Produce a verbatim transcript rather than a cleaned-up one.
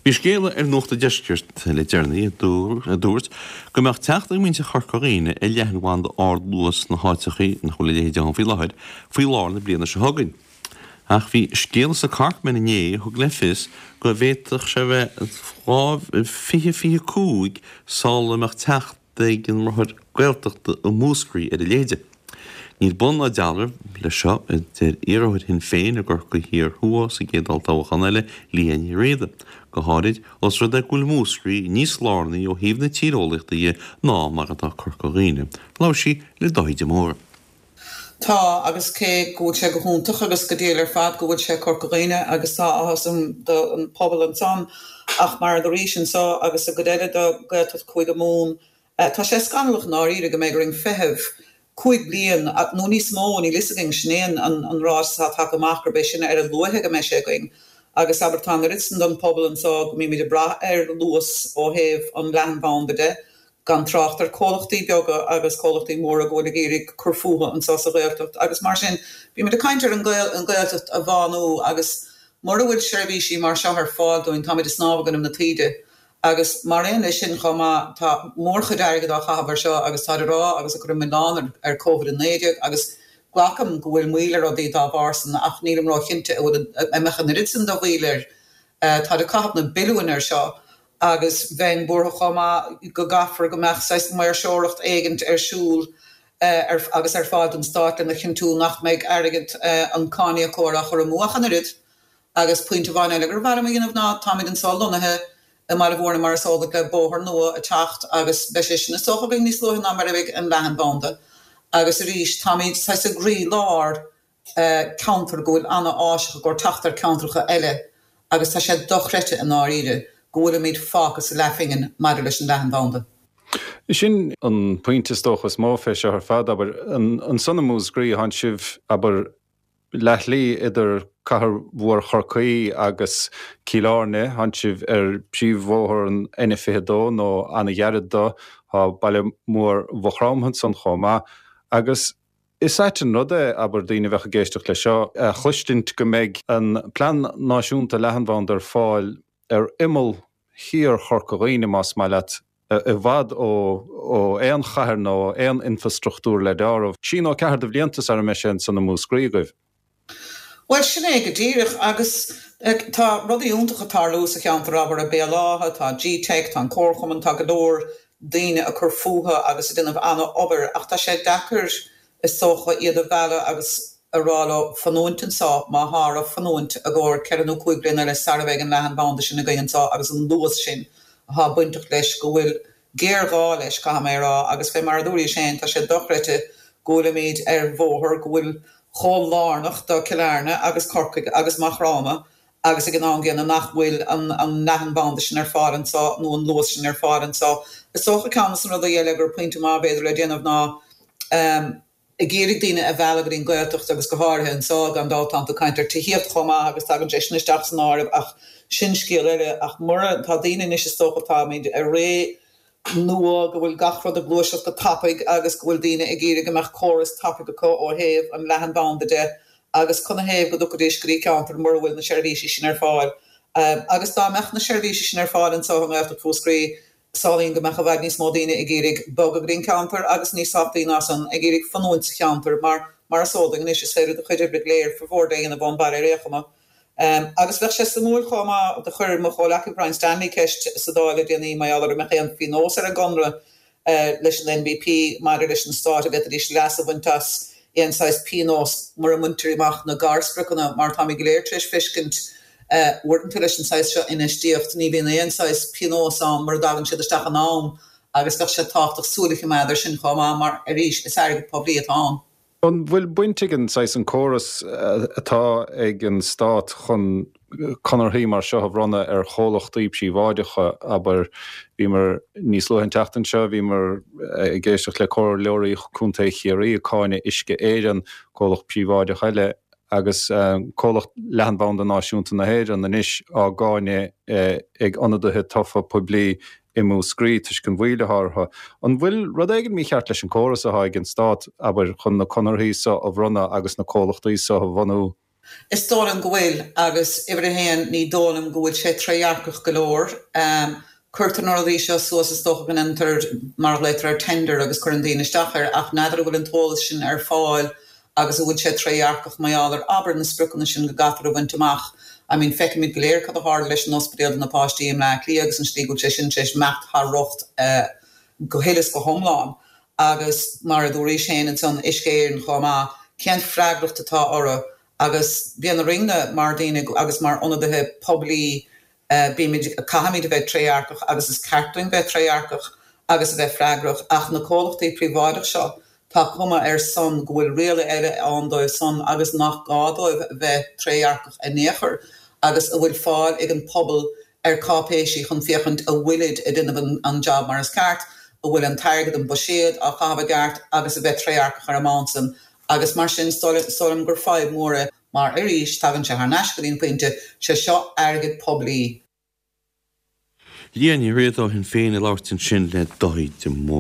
Bhí scéala ar Nuacht an Deiscirt le deireanaí a dúirt go mbeadh teacht ag muintir Chorca Dhuibhne ar leathanbhanda ardluas sna háiteachaí nach bhfuil a leithéid ann faoi láthair faoi lár na bliana seo chugainn. Ach bhí scéala sa Corkman inné a thug le fios go bhféadfadh sé bheith dhá fiche fiche cúig sula mbeadh teacht ag an mbráthair Gaeltachta i Múscraí ar a leithéide. Níl bun ná dealramh leis seo, a deir iarrthóir Shinn Féin i gCorcaigh Thiar Thuaidh sa gcéad olltoghchán eile, Liadh Ní Riada, go háirid os rud é go bhfuil Múscraí níos lárnaí ó thaobh na tíreolaíochta dhe ná mar atá Corca Dhuibhne. Labhair sí le Dáithí de Mórdha. Tá, agus cé go bhfuil sé go hiontach agus go diail ar fad go bhfuil sé Corca Dhuibhne agus tá áthas orm don pobal ansan ach mar a dúraís anso agus i gcuid eile de Gaeltacht Chúige Mumhan, tá sé scannalach i ndáiríre go mbeidh orainn feitheamh cúig bliain nó níos mó, níl fhios againn, sin é an ráiteas atá tagtha amach gurb é sin ar a luaithe go mbeidh sé againn. Agus abair tá an oiread san don pobal anso go mbímid ag brath ar luas ó thaobh an leathanbhanda de, gan trácht ar comhlachtaí beaga agus comhlachtaí móra go bhfuil ag iarraidh cur fúthu anso sa Ghaeltacht agus mar sin bímid ag caint ar an Ghaeltacht a bhánú agus mura bhfuil seirbhísí mar seo ar fáil dúinn táimid ag snámh in aghaidh na taoide. Agus mar aon leis sin chomh maith, tá mórchuid airgid á chaitheamh air seo agus táid ag rá agus ag cur an milleán ar Covid a naoi déag agus glacaim go bhfuil moill ar rudaí dá bharr san ach nílim róchinnte an bhfuil an mbeadh an oiread san de mhoill air. Táid ag caitheamh na billiúin air seo agus bheinn buartha chomh maith go gcaithfear go mbeadh saghas maoirseoireacht éigint ar siúl ar agus ar fáil don stát lena chinntiú nach mbeidh airgead an cáiníocóra á chur amú ach an oiread. Agus pointe amháin eile gur mhaith liom a dhéanamh ná táimid anso lonnaithe i mBaile Mhúirne mar is eol duit le bóthar nua ag teacht agus beidh sé sin is dócha againn níos luaithe ná mar a bheidh an leathanbhanda agus arís táimid saghas i gcroí lár ceantar go bhfuil ana-áiseach i gcomhair teacht ar ceantracha eile agus tá sé dochreidte i ndáiríre go bhfuilimid fágtha sa leathphingin maidir leis an leathanbhanda. Sin an pointe is dócha is mó fé seo ar fad, abair, ansan i Múscraí, tánn sibh, abair, leathshlí idir cathair mhór Chorcaí agus Cill Airne, tánn sibh ar phríomhbhóthar an N fiche dó nó ana-ghairid dó, tá baile mór Mhaigh Chromtha ansan chomh maith, agus is ait an rud é, abair, daoine a bheadh ag éisteacht leis seo, a chloistint go mbeidh an Plean Náisiúnta Leathanbhanda ar fáil ar imeall thiar Chorca Dhuibhne, más maith leat, i bhfad ó aon chathair nó aon infrastruchtúr le deáramh. Trí nó ceathair de bhlianta sara mbeidh sé ansan i Múscraí agaibh. Bhuel, sin é go díreach agus tá rudaí iontacha ag tarlú sa cheantar, abair, i Béal Átha, tá G-Teic, tá an Comharchumann, tá go leor daoine ag cur fúthu agus ag déanamh an-obair ach tá sé deacair is dócha iad a mhealladh agus a rá leo fanúint anso má tá orthu fanúint i gcomhair ceithre nó cúig bliana eile sara bheidh an leathanbhanda sin againn anso agus an luas sin atá bainteach leis go bhfuil géarghá leis, caithfidh mé a rá, agus fé mar a dúraís féin, tá sé dochreidte go bhfuilimid ar bhóthar go bhfuil chomh lárnach do Cill Airne agus Corcaigh agus Maigh Chromtha agus ag an am gcéanna nach bhfuil an an leathanbhanda sin ar fáil anso nó an luas sin ar fáil anso. Is dócha ceann de na rudaí eile gur pointe maith b'fhéidir le déanamh ná ag iarraidh daoine a mhealladh go dtí an Ghaeltacht agus go háirithe anso, gan dabht tánn tú ag caint ar tithíocht chomh maith agus tagann sé sin isteach san áireamh ach sin scéal eile ach mura, tá daoine anois is dócha táimid i ré nua go bhfuil gach rud ag gluaiseacht go tapaidh agus go bhfuil daoine ag iarraidh go mbeadh córas tapaidh acu ó thaobh an leathanbhanda de agus canathaobh go dtiocfaidís go dtí ceantar mura bhfuil na seirbhísí sin ar fáil agus dá mbeadh na seirbhísí sin ar fáil anso i nGaeltacht Mhúscraí Samhlaím go mbeadh i bhfad níos mó daoine ag iarraidh bogadh go dtí an ceantar agus níos tábhachtaí ná san, ag iarraidh fanúint sa cheantar mar, mar is eol duinn anois, is féidir do chuid oibre go léir, formhór de, a dhéanamh ón bhaile ar aon chuma. Agus bheadh sé suimiúil chomh maith, do chuir mo chomhleacaí Brian Stanley ceist sa Dáil le déanaí mar gheall ar an mbeadh aon phionós ar an gconradh leis an NBP maidir leis an Stát a bhféadfaidís leas a bhaint as aon saghas pionós mura mbaintear amach na garspriocanna mar táimid go léir tar éis feiscint uaireanta leis an saghas seo infheistíocht ní bhíonn aon saghas pionós ann mura dtagann siad isteach in am agus bheadh sé tábhachtach súil a choimeád ar sin chomh maith mar arís is airgead poiblí atá ann. An bhfuil baint ag an saghas an córas atá ag an Stát chun conarthaí mar seo a bhronnadh ar chomhlachtaí príobháideacha, abair, bhíomar níos luaithe an tseachtain seo, bhíomar ag éisteacht le comhairleoirí Contae Chiarraí ag cáineadh Uisce Éireann, comhlacht príobháideach eile, agus comhlacht leathanbhanda náisiúnta na hÉireann anois á gcáineadh ag ionadaithe tofa poiblí i Múscraí toisc an mhoill atá orthu. An bhfuil rud éigin mícheart leis an córas atá ag an Stát, abair, chun na conarthaí so a bhronnadh agus na comhlachtaí so a bhunú? Is dóigh liom go bhfuil, agus uimhir a haon, ní dóigh liom go bhfuil sé trédhearcach go leor. Cuirtear na rudaí seo suas is dócha go ndéantar mar a ghlaotar air tender agus cuireann daoine isteach air ach n'fheadar an bhfuil an t-eolas sin ar fáil agus an bhfuil sé trédhearcach mar gheall ar abair na spriocanna sin go gcaithfear a bhaint amach. I mean feicimid go léir cad a tharla leis an ospidéal do na páistí i mBleá Cliath agus an slí go bhfuil sé sin tar éis imeacht thar rocht go huile is go hiomlán agus mar a dúraís féin ansan Uisce Éireann chomh maith, cén freagracht atá orthu agus bíonn orainne mar daoine agus mar ionadaithe poiblí bímid, caithfimid a bheith trédhearcach agus is ceart dúinn bheith trédhearcach agus a bheith freagrach ach na comhlachtaí príobháideach seo, tá cuma air san go bhfuil riail eile ann dóibh san agus nach gá dóibh a bheith trédhearcach in aon chor agus a bhfuil fáil ag an pobal ar cáipéisí chun féachaint a bhfuilid ag déanamh an job mar is ceart, a bhfuil an t-airgead, an buiséad á chaitheamh i gceart agus a bheith trédhearcach ar an mbonn san agus mar sin is dóigh liom gur fadhb mhór é mar arís tagann sé thar n-ais go dtí an pointe, sé seo airgead poiblí. Liadh Ní Riada ó Shinn Féin ag labhairt ansin le Dáithí de Mórdha.